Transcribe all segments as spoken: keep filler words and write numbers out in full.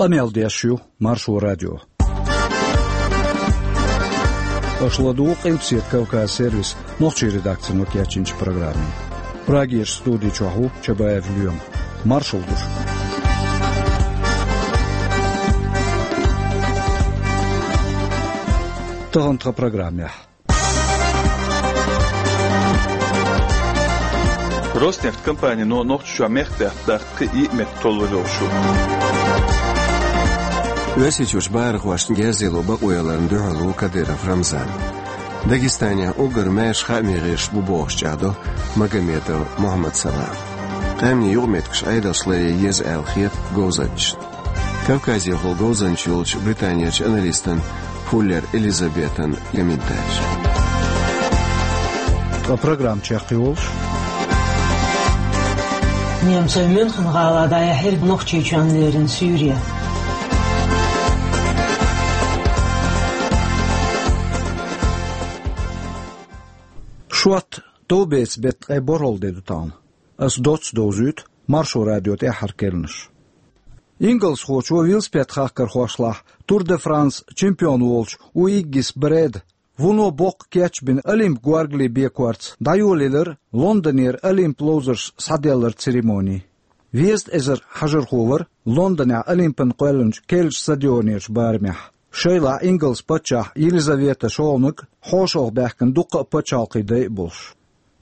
Къамел деш ю Маршо радио. Аша ладугӀу Къилбаседа Кавказ сервисан нохчийн редакцино кечйинчу программе. Прагерчу студи чохь ву Чабаев Лоьма. Маршалла ду шуьга. Тахана тхан программехь. Роснефть компанино Нохчийчохь мехкдаьтта даккха кхин а йиъ меттиг толлур йолуш ю. Оьрсийчуьрчу бахархошна герз яло бакъо яларна дуьхьал ву Кадыров Рамзан. Дагестанехь уггар маьрша хаамийн гӀирсаш бу бохуш чӀагӀдо Магомедов Мухьаммад-Салам. Къаьмнийн юкъаметтигаш Ӏедалш ларъян еза аьлла хета говзанчашна. Кавказехула говзанча йолчу Британерчу аналистан Фуллер Элизабетан комментарий. Ткъа программа чекхйолуш: немцойн Мюнхен-гӀала дӀаяьхьира Нохчийчоьнна лерина суьйре. Шот, товбеца беттан ткъе борхӀалгӀа де ду тахана. Ас доцца довзуьйту Маршо радион тӀаьххьара керланаш. Ингалсхочо велосипед-хахкархошлахь Тур де Франс чемпион волчу Уиггис Брэда вуно боккха кечбина Олимп горгали бекорца дӀайолаелира Лондонера Олимп ловзарш схьаделларан церемони. Везткъа эзар хьажархо вара Лондонехь Олимпана кхоьллинчу керлачу стадионерчу барамехь, шайлахь Ингалс паччахь Елизавета шолгӀаниг, хьошалгӀа баьхкина дуккха а пачхьалкхийн дай а болуш.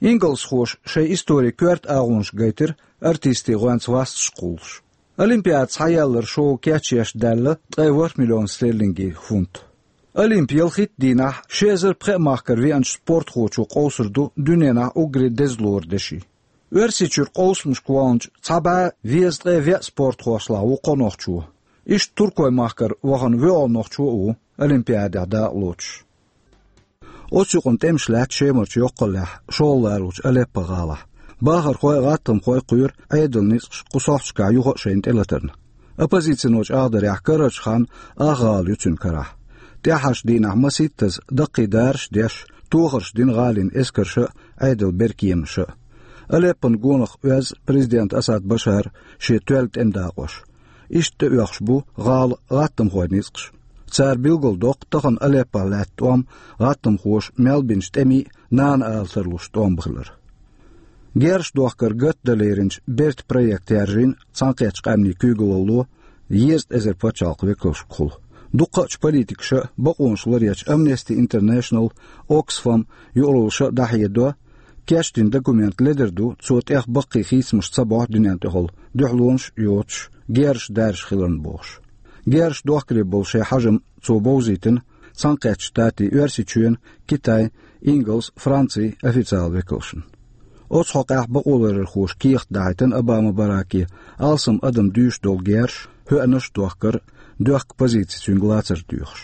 Ингалсхоша шайн историн коьрта агӀонаш гайтира артистийн гӀоьнца васташ кхуллуш. Олимпиада схьаялларан шоу кечъеш даьлла ткъе ворхӀ миллион стерлингийн фунт. Олимп ялхитта дийнахь ши эзар пхеа махкара веанчу спортхочо къовсур ду дуьненахь уггаре деза лору деши. Оьрсийчуьра къовсамашка ваханчу цхьа бӀе везткъе веа спортхошлахь ву кхо нохчо. Иштта Туркойн махкара вахана воьалгӀа нохчо а ву Олимпиадехь дакъа лоцуш. Оцу юкъана тӀемаш лаьтта Шемарчу йоккхаллехь, шолгӀа лоруучу Алеппо-гӀалахь. Бахархой а, гӀаттамхой а кхоьру Ӏедалан ницкъаш кху сохьташкахь юха а шайна тӀелатарна. Оппозицино чӀагӀдарехь, карарчу ханна ах гӀала ю цуьнан карахь. ТӀаьххьарчу дийнахь масийттаза даккхий дараш а деш, тохарш дина гӀалин эскарша а, Ӏедалан беркеманаша а. Алеппон гонах оьзна президент Асад Башара шен тоьлла тӀеман дакъош. Иштта тӀеоьхуш бу гӀалан гӀаттамхойн ницкъаш. Цара билгалдоккху тахана Алеппохь лаьтта тӀом гӀаттамхоша мел бинчу тӀемийн а, нана ала тарлуш тӀом хилар. Герзаш дохкар гатдан леринчу бертан проект яржийна Цхьаьнакхеттачу Къаьмнийн куьйгалло, дезткъа эзар пачхьалкхан векалшкахула. Дуккхачу политикаша а, бакъонаш ларъечу Amnesty International, Oxfam юкъараллаша а дӀахьедо, кечдина документ ледара ду, цо тӀех баккхий хийцамаш ца бохьу дуьнен тӀехула, дуьхьалонаш а йоцуш, герзаш даьржаш хиларна бохуш. Герзаш дохкаре болу шайн хьажам цо бовзийтина Цхьаьнакхеттачу Штатийн, Оьрсийчоьнан, Китайн, Ингалсан, Францин официалан векалшна. Оцу хьокъехь бакъоларъярхоша кехат дахьийтина Обама Бараке, алсам адам дуьйш долу герзаш, хӀоьанаш а дохкар, доьхка позици цуьнга лацар доьхуш.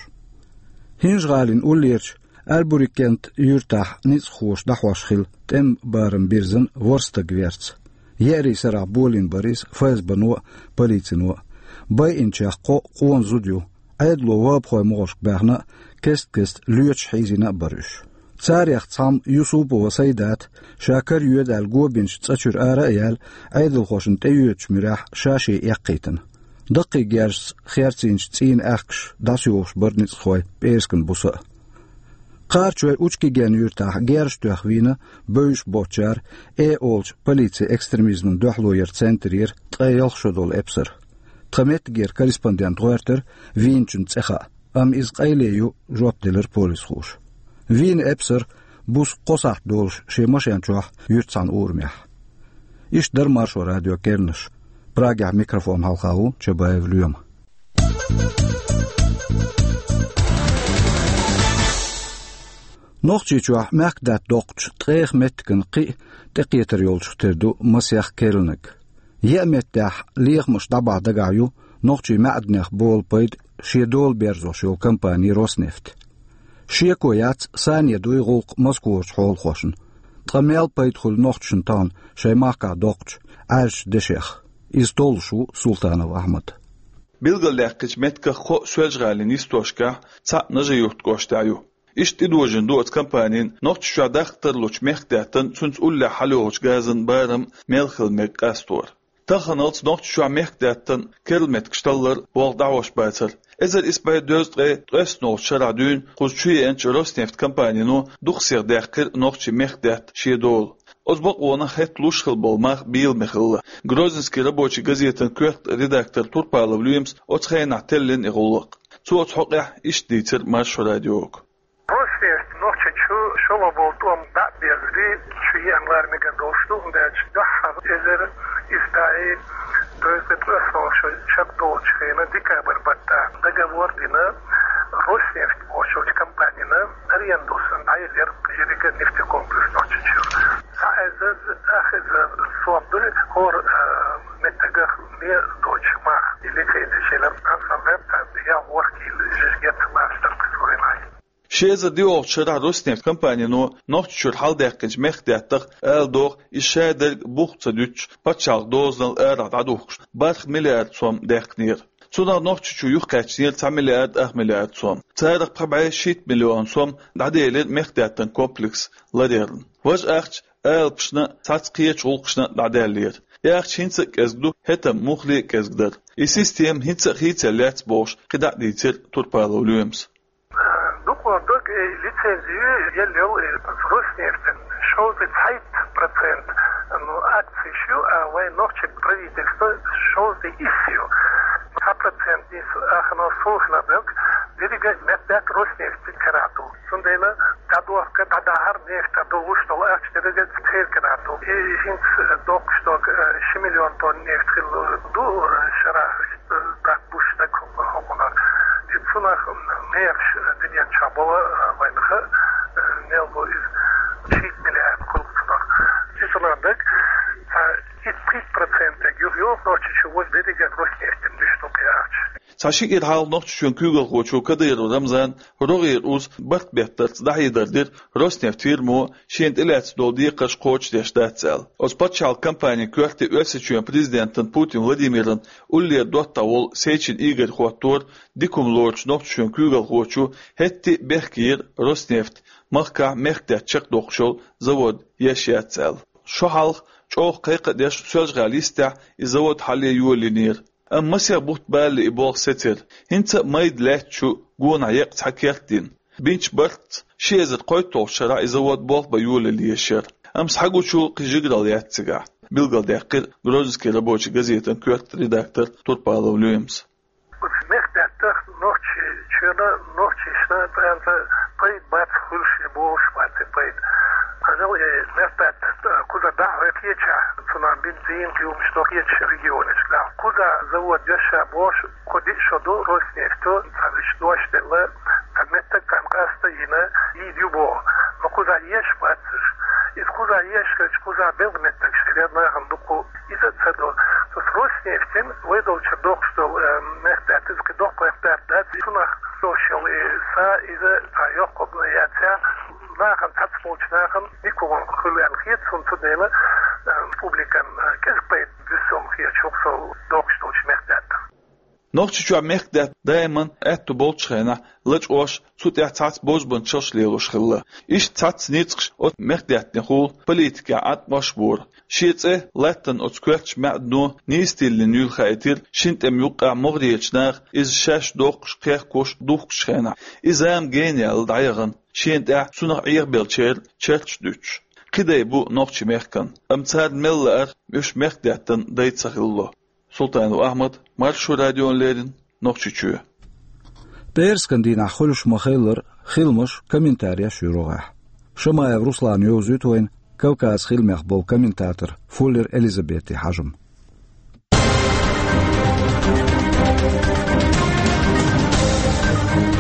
ХӀинжа-ГӀалин уллерчу Альбурикент юьртахь ницкъахоша дӀахьош хилла тӀеман барам бирзина ворхӀ стаг верца. Еарин сарахь болийна бара иза ФСБ-но а, полицино а. Байинчех кхоъ къона зуда ю. Ӏедало вахӀабхойн могӀаршка баьхна а, кест-кеста лоьцуш хьийзийна а бара уьш. Царех цхьамма, Юсупова Сайдат, ша кара йоьду аьлла го бинчу цӀа чуьра ара а яьлла, Ӏедалхошна тӀеоьцучу муьрехь ша-шен эккхийтина. Даккхий герзашца херцийначу цӀийнан аьхкаш дӀасайохуш бара ницкъахой пӀераскан буса а. Кхарачой Учкиген юьртахь герзаш тоьхна вийна бевзаш боцучара «Э» олучу полицин экстремизмана дуьхьало яран центрера ткъе ялх шо долу эпсар. Тхан меттигера корреспондент гӀоьртира вийначун цӀе хаа, амма иза къайле ю, жоп делира полисхоша. Вийна эпсар буса кхо сахьт долуш шен машен чохь юьртахь цхьана урамехь. Иштта дара Маршо радион керланаш. Прагехь микрофон хьалха ву Чабаев Лоьма. Нохчийчохь мехкдаьтта доккхучу ткъех меттиган кхин а тӀекхетар йолчух тера ду масех керланиг. Еа меттехь лехамаш дӀабахьа дагахь ю нохчийн маьӀданех болу пайда шен дола берзош йолу компани «Роснефть». Шеко яц, сане дуй гӀуллакх Москварчу хьолахошна. Ткъа мел пайда хуьлу нохчашна тахана шайн махкахь доккхучу Ӏаьржачу дешех? Иза толлуш ву Султанов Ахьмад. Билгалдаьккхича, меттигах кхоъ Соьлжа-ГӀалин йистошкахь, цхьаъ Нажи-Юрт кӀоштахь ю. Иштта тӀедожийна ду оцу компанин Нохчийчохь даккха тарлучу мехкдаьттан, цуьнца уллехь хьалайолучу газан барам мел хила мега къастор. Таханалц Нохчийчохь мехкадаьттан керла меттигаш таллар болх дӀахьош бацар. Эзар исс бӀе дезткъе ткъеснолгӀачу шарахь дуьйна кхуза чу еанчу Роснефть компанино дукха сиха даьккхира нохчийн мехкадаьтта шен дола. Оцу бакъонах хӀетта луш хилла болу мах бийламе хилла. Грозненский рабочий газетан коьрта редактор Турпалов Лоьмас оцу хенахь теллина и гӀуллакх. Цо оцу хьокъехь иштта дийцира Маршо радиога. Роснефть Нохчийчу шолгӀа болу тӀом дӀа а безарий, чу еана лара мегар долуш ду, хӀунда аьлча дуьххьара эзар исс бӀе дезткъе ткъеснолгӀачу шарахь долчу хенахь декабрь баттахь договор дина Роснефть бохучу компанина, аренду санна дӀаелира ерриг а нефтекомплекс Нохчийчуьра. Цхьа эзар, ах эзар сом дуьллу хӀора, а, меттигах лен доцуш мах, и лицензи шайна анхьа вебта, я ворхӀ кило жижигет мастер культуры. Ши эзар диъолгӀачу шарахь Роснефть компанино Нохчийчуьра хьаладаьккхинчу мехкадаьттах, ала догӀу, иза шадерг бух ца дуьтуш, пачхьалкхан дозанал арахь дӀадухкуш, бархӀ миллиард сом даьккхинера. Цунах Нохчийчу юхакхаьчнера цхьа миллиард ах миллиард сом. Царах пхи бӀе шийтта миллион сом дӀаделира мехкадаьттан комплекс ларъярна. Важа ахча алапашна, цхьацца кхечу гӀуллакхашна дӀадаьллера. И ахча хӀинца а кӀезиг ду, хӀетахь муххале а кӀезиг дара. И система хӀинца а хийцаелла яц бохуш, кхидӀа а дийцира Турпалов Лоьмас. Дукха дог, э, лицензи елла йолу, э, Роснефтен шовзткъе цхьайтта процент, ну, акцеш ю, а вайн нохчийн правительство шовзткъе исс ю. Цхьа процент нийса ахано сулхана дог, дерриге а меттиг Роснефть карахь ду. Цундела дӀадохка, дӀадахар, нефть дӀадолуш долу ахча дерриге а церан карахь ду. И хӀинца доккхуш дог, э, ши миллион тонн нефть хилла ду, э, шарахь. Даккхуш дерг хӀокхунах. И цунах мехаш динен чохь болу вайнаха, мел бу иза шийтта миллиард кхуллу цунах. И цунах дерг, а, и пхийтта процент дерг юха йоху Нохчийчу, важа дерриге а Роснефтем дуьсу ду кхин ахча. Цхьа ши кӀира хьалха Нохчийчоьнан куьйгалхочо Кадыров Рамзана рогӀера уз барт беттарца дӀахьедар дира Роснефть фирмо шена тӀелаьцна долу декхарш кхочушдеш дац аьлла. Оцу пачхьалкхан компанин коьрте Оьрсийчоьнан президентан Путин Владимиран уллера доттагӀа волу Сечин Игорь хӀоттора дика хӀума лоручу Нохчийчоьнан куьйгалхочо хӀетте а бехке йира Роснефть махкахь мехкадаьтта чекхдоккхуш йолу завод еш яц аьлла. Шо хьалха чӀогӀа кхайкха а деш Соьлжа-ГӀалин йистехь и завод хьале йолийнера. Амма масех бутт балале и болх сецира. ХӀинца а майда лаьттачу гонах екъа цхьа керт дина. Бинчу бартца ши эзар кхойтталгӀачу шарахь и завод болх бан йолалла езаш яра. Амма схьагучул кхин жигаралла яц цигахь, билгалдаьккхира Грозненский рабочий газетан коьрта редактор Турпалов Лоьмас. Оцу мехкадаьттах Нохчийчоьнан, нохчашна тӀаьнца пайда бац хуьлуш, и бохуш бац и пайда. Хьажал, и мехкадаьтта кхуза дӀа а хьоькхуча, цунах бензин, кхин хӀуманаш дохуьйтуш регионашкахь. Кхуза завод еш а бохуш, кхо-диъ шо ду Роснефто, цхьа вуьш дош делла, цхьа меттиг царна къаста а йина, йийр ю боху. Но кхуза еш бац уьш. Иза кхуза еш хилча, кхуза белхан меттигаш хилла нахана дукха. Иза а ца до. Цу Роснефтин вай долчуьра дохуш долу, э, мехкадаьтта, иза кхин доккха мехкадаьтта дац. Цунах дош йолу, э, са иза цхьа йоккха яц а, нахана, цхьацца болчу нахана дика хӀума хуьлу аьлла хета суна, цундела, э, публикан, э, кӀезиг пайда буьссу хета хӀокху со дохуш долчу мехкадаьттах. Нохчийчохь мехкадаьтта даиман аьтту болчу хенахь лачкъош, цу тӀехь цхьацца бозбуунчаллаш лелош хилла. Иштта цхьацца ницкъаш оцу мехкадаьттанехула политикехь Ӏаткъамаш бора. Шен цӀе латтана оцу коьртачу маьӀдано нийса тиллина юьлла хаийтира шина тӀеман юккъехь могӀарерчу наха иза шаьш доккхуш, кхехкош, духкучу хенахь. И зама гена яьлла дӀаяхана, шена тӀехь цунах Ӏехабеллачеран черташ дуьтуш. Кхин дай бу нохчийн мехкан, амма царна мел лаара уьш мехкадаьттан дай ца хилало. Султанов Ахьмад, Маршо радиона леррина, Нохчийчоь. ПӀераскан дийнахь хуьлуш ма-хиллара, хиламаш, комментареш ю рогӀехь. Шамаев Руслана йовзуьйту вайна Кавказ хиламех болу комментатор Фуллер Элизабетин хьажам.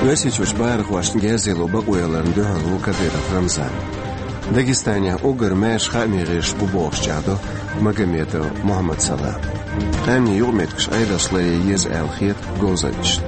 Оьрсийчуьрчу бахархошна герзаяло бакъо яларна дуьхьал ву Кадыров Рамзан. Дагестанехь уггар маьрша хаамийн гӀирсаш бу бохуш чӀагӀдо Магомедов Мухьаммад-Салам. Къаьмнийн юкъаметтигаш Ӏедалша ларъян еза аьлла хета говзанчашна.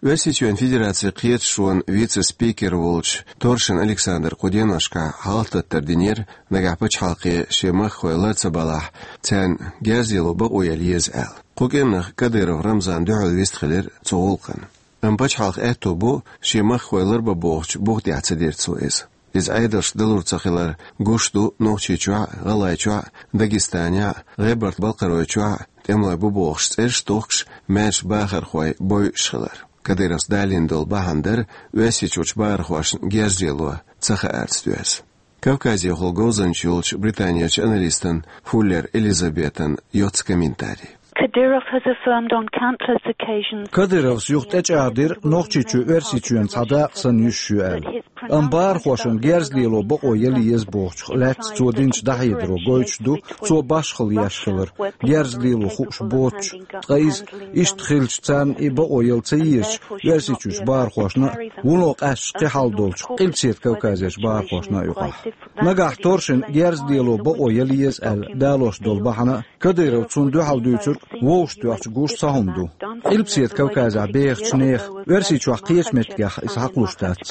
Оьрсийчоьнан Федерацин кхеташонан вице-спикер волчу Торшин Александра кху деношкахь хьалхататтар динера, нагахь пачхьалкхе шен махкахой лар ца балахь, царна герзаяло бакъо яла еза аьлла. Кху кӀиранах Кадыров Рамзан дуьхьал вистхилира цу гӀуллакхна. Амма пачхьалкхан аьтто бу, шен махкахой ларбан бохучу бух тӀехь ца дира цо иза. Иза Ӏедалшка далур ца хилар гуш ду Нохчийчохь а, ГӀалгӀайчохь а, Дагестанехь а, ГӀебарта-Балкхаройчохь а тӀемалой бу бохуш цӀераш а тохкуш, маьрша бахархой бойуш хилар. Кадыровс далийна долу бахьана дара Оьрсийчуьрчу бахархошна герз лело ца хаарца доьзна. Кавказехула говзанча йолчу Британерчу аналистан Фуллер Элизабетан йоцу комментарий. Kadyrov has affirmed on countless occasions Кадыровс юха тӀечӀагӀдира, Нохчийчоь Оьрсийчоьнан цхьа дакъа санна йиш ю аьлла. Амма бахархошна герз лело бакъо яла еза бохучух лаьцна цо динчу дӀахьедаро гойтуш ду, цо башхалла еш хилар, герз лело хууш боцуш, ткъа иза, иштта хилча, царна и бакъо яла ца езачу Оьрсийчуьрчу бахархошна а, вуно къаьсташ кхин хьалха долчу Къилбаседа Кавказерчу бахархошна а юкъахь. Нагахь торшина герз лело бакъо яла еза аьлла далош долу бахьана а, Кадыров цунна дуьхьал дуьйцург вовшахтоьхча гуш цхьа хӀума ду. Къилбаседа Кавказехь бехачу нехан, Оьрсийчохь кхечу меттигех иза хьакхалуш дац.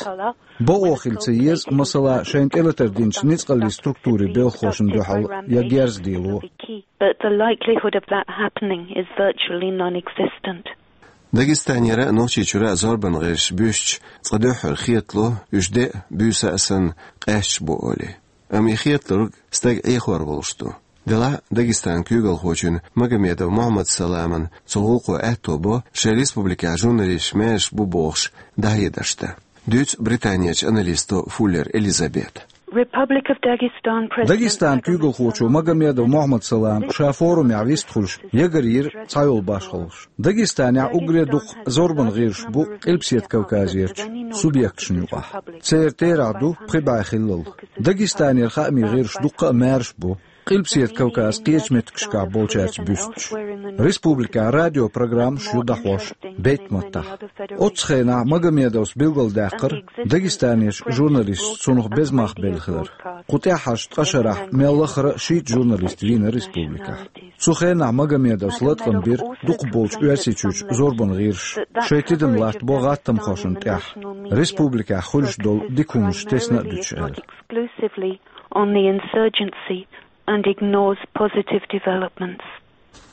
Бакъо хила ца еза, масала, шайна тӀелатар динчу ницкъаллин структурийн белхахошна дуьхьал я герз лело. But the likelihood of that happening is virtually non-existent. Дагестанера а, Нохчийчуьра а зорбан гӀирсаш буьстича, цкъа дуьххьара хетало, уьш де а, буьйса а санна, къаьсташ бу олий. Амма и хеталург стаг Ӏехор волуш ду. Делахь а Дагестанан куьйгалхочун Магомедов Мухьаммад-Саламан цу гӀуллакхо аьтто бо шайн республикехь журналисташ маьрша бу бохуш дӀахьедарш дан. Дуьйцу Британерчу аналисто Фуллер Элизабета. Republic of Dagestan President Дагестанан куьйгалхочо Магомедов Мухьаммад-Салама ша форумехь вистхуьлуш ягар йира цхьайолу башхаллаш. Дагестанехь уггаре а дукха зорбан гӀирсаш бу Къилбаседа Кавказерчу субъекташна юкъахь. Церан терахь ду пхи бӀе хиллал. Дагестанера хаамийн гӀирсаш дуккха а маьрша бу. Къилбаседа Кавказ кхечу меттигашкахь болчаьрца буьстича. Республикехь радиопрограммаш ю дӀахьош бейтта маттахь. Оццу хенахь Магомедовс билгалдаьккхира, Дагестанерчу журналисташа цунах беза мах белла хилар. Кху тӀаьххьарчу ткъа шарахь мел лахара шийтта журналист вийна республикехь. Цу хенахь Магомедовс латкъам бира дукхахболчу Оьрсийчуьрчу зорбан гӀирсаша шайн тидам латтабо гӀаттамхошна тӀехь, республикехь хуьлуш долу дика хӀуманаш тесна а дуьтуш аьлла. Exclusively on the insurgency and ignores positive developments.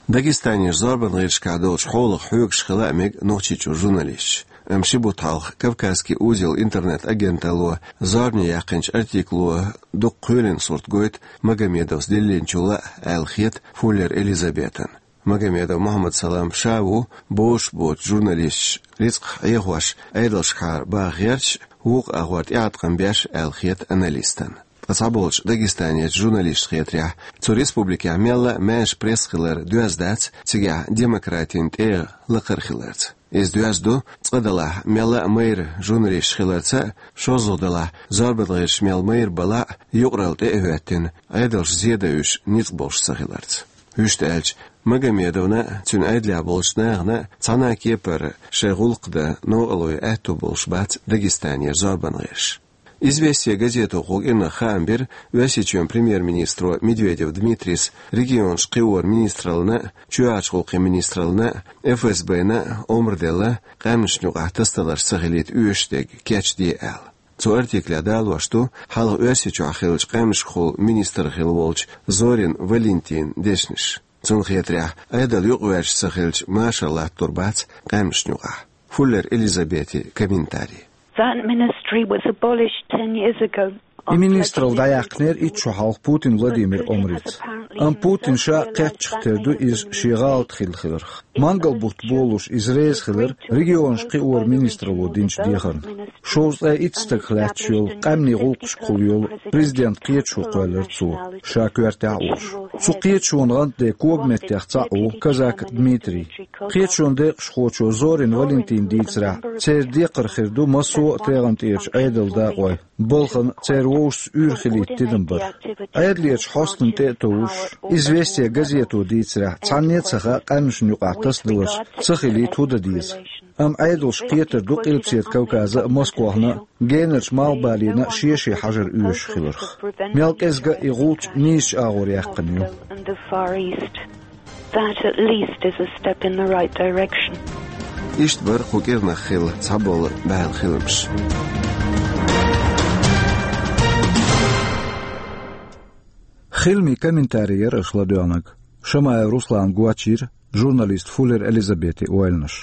Дагестанерчу зорбан гӀирсашкахь долчу хьолах хьоьгуш хила а мега Нохчийчуьра журналисташ. Амма ши бутт хьалха «Кавказский узел» интернет-агенталло зорбане яьккхинчу артикло дукха кхоьлина сурт гойту Магомедовс диллинчул а, аьлла хета Фуллер Элизабетана. Магомедов Мухьаммад-Салам ша ву бозуш боцу журналисташ рицкъах Ӏехош, Ӏедалшкахьара баха гӀерташ, вукху агӀор тӀеӀаткъам беш аьлла хета аналистана. Ткъа цхьаболчу Дагестанерчу журналисташна хетарехь, цу республикехь мелла а маьрша пресса хилар доьзна дац цигахь демократин тӀегӀа лакхара хиларца. Иза доьзна ду, цкъа делахь, мелла а майра журналисташ хиларца а, шозлагӀа делахь, зорбан гӀирсаш мел майра балахь а, юкъаралла тӀе а хӀоьттина, Ӏедалша зен дан уьш ницкъ болуш ца хиларца. Вуьшта аьлча, Магомедовна а, цуьнан Ӏедалехь болчу нахана а цхьана а кепара шайн гӀуллакх дан новкъарло ян аьтто болуш бац Дагестанера зорбан гӀирсаш. «Известия» газето кху кӀирнах хаам бира Оьрсийчоьнан премьер-министро Медведев Дмитрийс регионаш кхиоран министраллина а, чоьхьарчу гӀуллакхийн министраллина а, ФСБ-на а омра делла, къаьмнашна юкъахь тасадаларш ца хилийта оьшуш дерг кечде аьлла. Цу артиклехь далош ду хьалха Оьрсийчохь хиллачу къаьмнашкахула министр хилла волчу Зорин Валентинан дешнаш. Цунна хетарехь, Ӏедал юкъаваьржаш ца хилча, машар латтор бац къаьмнашна юкъахь. Фуллер Элизабетин комментарий. That ministry was abolished ten years ago. И министралла дӀаяьккхинера итт шо хьалха Путин Владимиран омрица. Амма Путин ша кхеттачух тера ду иза шен гӀалат хилла хиларх. Мангал бутт болалуш иза реза хилира регионаш кхиоран министралло динчу дехарна. Шовзткъе итт стагах лаьтташ йолу къаьмнийн гӀуллакхашкахула йолу президентан кхеташо кхоьллира цо, ша коьртехь а волуш. Цу кхеташонан гӀантде когаметтех цхьаъ ву Казак Дмитрий. Кхеташонан декъашхочо Зорин Валентина дийцарехь, церан декхар хир ду массо а тӀегӀан тӀерачу Ӏедалан дакъойн балхана церан вовшашца уьйр хилийта тидам бар. Ӏедалерчу хьостанна тӀе а товш, «Известия» газето дийцарехь, цхьанне а ца хаьа къаьмнашна юкъахь тасадаларш ца хилийта хӀун дан деза. Амма Ӏедалша кхетар ду Къилбаседа Кавказан а, Москвахна а, генарчу малхбалийна а шен-шен хьажар оьшуш хиларх. Мел кӀезга а и гӀулч нийсачу агӀор яьккхина ю. And the Far East. That at least is a step in the right direction. Иштта бара кху кӀирнах хилла цхьаболу бӀаьла хиламаш. Хиламийн комментарий яра аша ладоьгӀнарг. Шамаев Руслана гочйира журналист Фуллер Элизабетин ойланаш.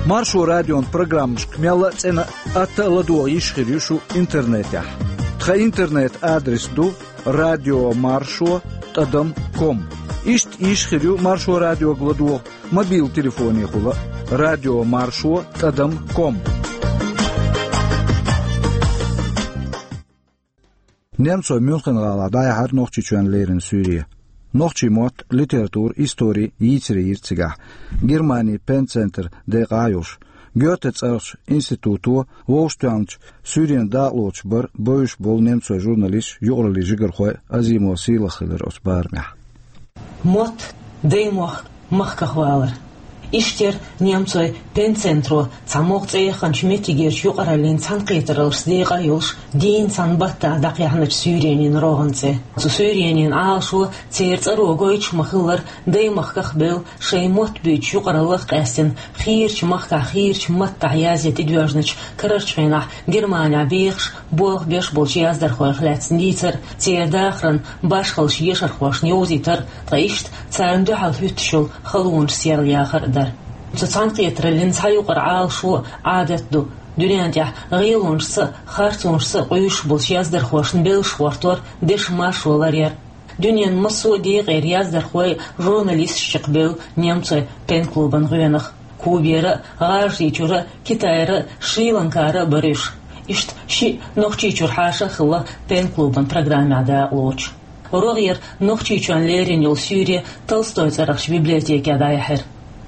Маршо радион программашка мелла а цӀена а, атта а ладогӀа йиш хир ю шу интернетехь. Тхан интернет-адрес ду радио маршо тӀадам ком. Иштта йиш хир ю Маршо радиога ладогӀа мобил телефонехула а, радио маршо тӀадам ком. Немцойн Мюнхен-гӀалахь дӀаяьхьира Нохчийчоьнна леррина суьйре. Нохчийн мотт, литература, истори йийцаре йира цигахь. Германин Пенн-центр декъахь а йолуш, Гёте цӀарахчу институто вовшахтоьхначу суьйренан дакъалоцуш бара бевзаш болу немцойн журналисташ, юкъараллин жигархой а. Азимова Сийлаха хилира оцу барамехь. Мотт, даймохк, махках валар. Иштта яра немцойн Пенн-центро цхьа могӀа цӀе яханчу меттигерчу юкъараллин цхьаьнакхетараллашца декъа а йолуш, дийнна цхьана баттахь дӀакхехьначу суьйренийн рогӀан цӀе. Цу суьйренийн Ӏалашо церан цӀаро гойтуш ма-хиллара, даймахках а бевлла, шайн мотт буьйцучу юкъараллах а къаьстина, хийрачу махкахь хийрачу маттахь язъян тӀедоьжначу, карарчу хенахь Германехь бехаш, болх беш болчу яздархойх лаьцна дийцар а, церан дахаран башхаллаш ешархошна йовзийтар а, ткъа иштта царна дуьхьал хӀуьттуш йолу халонаш серлаяхар а дара. Цу цхьаьнакхетараллин цхьа юкъара Ӏалашо а, Ӏадат а ду: дуьнен тӀехь гӀелонашца а, харцонашца а къуьйсуш болчу яздархошна беллаш гӀортор, дешан маршо ларъяр. Дуьненан массо а декъера яздархой а, журналисташ а чекхбевлла немцойн пен-клубан гӀоьнах. Кубера а, ГӀажарийчуьра а, Китайра а, Шри-Ланкара а бара уьш. Иштта шиъ Нохчийчуьра хьаша а хилла пен-клубан программехь дакъалоцуш. РогӀера Нохчийчоьнна лерина йолу суьйре Толстойн цӀарахчу библиотекехь дӀаяьхьира.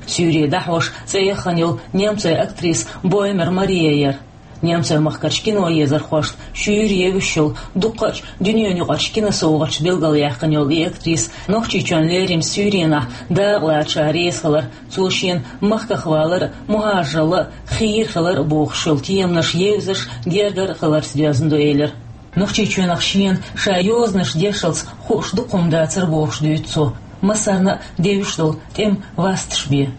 Суьйре дӀахьош цӀе яхана йолу немцойн актриса Боймер Мария яра. Немцойн махкарчу киноезархошна шуьйра евзаш йолу, дуккха а дуьненаюкъарчу киносовгӀаташца билгалъяьккхина йолу и актриса Нохчийчоьнна леринчу суьйренахь дакъалаца ша реза хилар, цо шена махках валар а, мухӀажаралла а, хийра хилар а бохуш йолу теманаш евзаш, гергара а хиларца доьзна ду, элира. Нохчийчоьнах шена ша йозанаш дешалц хууш дукха хӀума дацара бохуш дуьйцу цо, массарна а девзаш долу тӀеман васташ бен.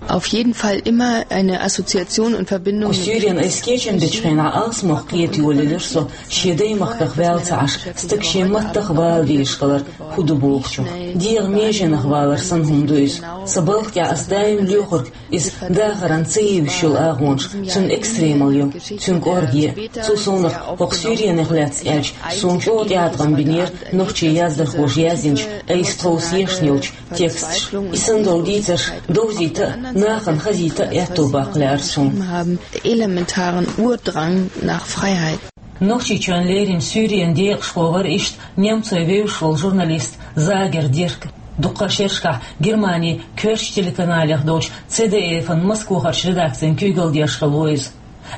Auf jeden Fall immer eine Assoziation und Verbindung. Кху суьйренан айса кечам бечу хенахь алсамох кхета йолаелира со, шен даймахках ваьлла ца Ӏаш, стаг шен маттах а вала дезаш хилар хӀун ду бохучух. ДегӀан меженах валар санна хӀума ду иза. Сан балха тӀехь ас даим лоьхург иза дахаран ца евзаш йолу агӀонаш, цуьнан экстремал ю, цуьнан кӀорге а. Цо суна хӀокху суьйренех лаьцна аьлча, суна чӀогӀа тӀеӀаткъам бинера нохчийн яздархоша яздинчу айса тховса ешна йолчу тексташа. И санна долу дийцарш довзийта а, нахана хазийта а аьтто баккха лаьара суна. Haben elementaren Urdrang nach Freiheit. Нохчийчоьнна леринчу суьйренан декъашхо вара иштта немцойн вевзаш волу журналист Загер Дирк. Дуккха а шерашкахь Германин коьртачу телеканалех долчу Ц Д Ф-н Москвахарчу редакцин куьйгалла деш хилла ву иза.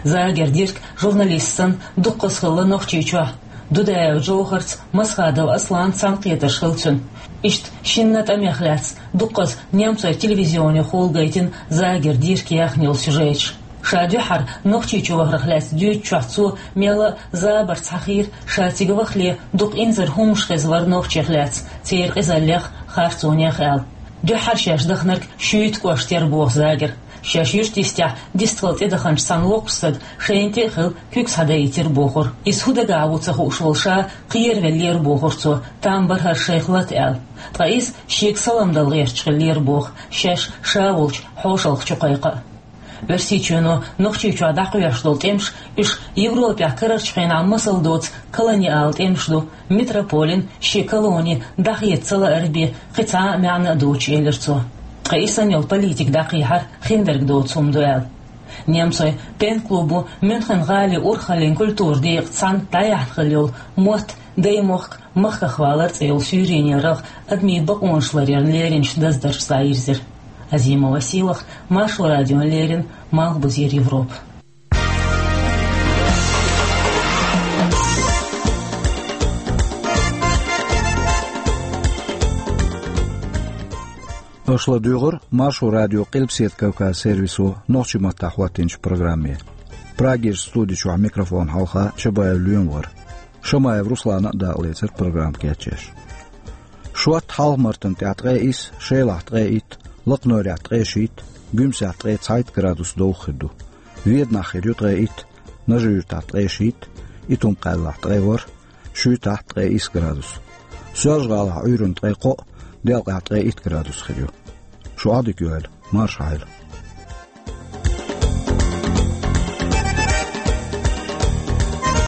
Загер Дирк журналист санна дуккхаза хилла Нохчийчохь. Дудаев Джовхарца, Масхадов Асланца цхьаьнакхетарш хилла цуьнан. Иштта шинна а тӀамех лаьцна дуккхаза немцойн телевизионехула гайтина Загер Дирка яьхна йолу сюжеташ. Ша дуьххьара Нохчийчу вахарх лаьцна дуьйцучохь цо мелла а забарца хьахийра, ша цига вахале дукха инзаре хӀуманаш хезна вара нохчех лаьцна, церан къизаллех а, харцонех а аьлла. Дуьххьара шаьш даханарг Шуьйта кӀошта яра боху Загера. Шаьш юьртан йистехь дистхила тӀедаханчу цхьана воккхачу стага шайна тӀе а хилла куьг схьадаийтира бохура. Иза хӀун дагахь ву ца хууш волу ша кхеравеллера бохура цо, там бара хӀара шайх лата аьлла. Ткъа иза шега салам дала гӀерташ хиллера боху, шаьш ша волчу хьошалгӀа чу кхайкха а. Оьрсийчоьно Нохчийчохь дӀакхоьхьуш долу тӀемаш, уьш Европехь карарчу хенахь масал доцу колониал тӀемаш ду, метрополин шен колони дӀахеца ца лаар бен кхин цхьа а маьӀна а доцуш, элира цо. Ткъа и санна йолу политика дӀакхехьар хиндерг доцу хӀума ду аьлла. Немцойн пен-клубо Мюнхен-гӀалин урхаллин культуран декъаца цхьаьна дӀаяьхьна хилла йолу мотт, даймохк, махках валар цӀе йолу суьйренера рагӀ адамийн бакъонаш ларъярна леринчу даздаршца дӀайирзира. Азимова Сийлаха, Маршо радиона леррина, Малхбузера Европа. Аша ладуьйгӀира Маршо радион Къилбаседа Кавказан сервисо нохчийн маттахь хӀоттийначу программе. Прагерчу студи чохь микрофонна хьалха Чабаев Лоьма вара. Шамаев Руслана а дакъалецира программа кечъеш. Шотта Хьалха-Мартан тӀехь ткъе исс, Шелахь ткъе итт, Лакханойрехь ткъе шийтта, Гуьмсехь ткъе цхьайтта градус довха хир ду. Веданахь хир ю ткъе итт, Нажи-Юьртахь ткъе шийтта, Итум-Кхаьллахь ткъе ворхӀ, Шуьйтахь ткъе исс градус. Соьлжа-ГӀалахь Ӏуьйранна ткъе кхоъ, Делкъехь ткъе итт градус хир ю. Шу Ӏодика йойла, марша Ӏойла.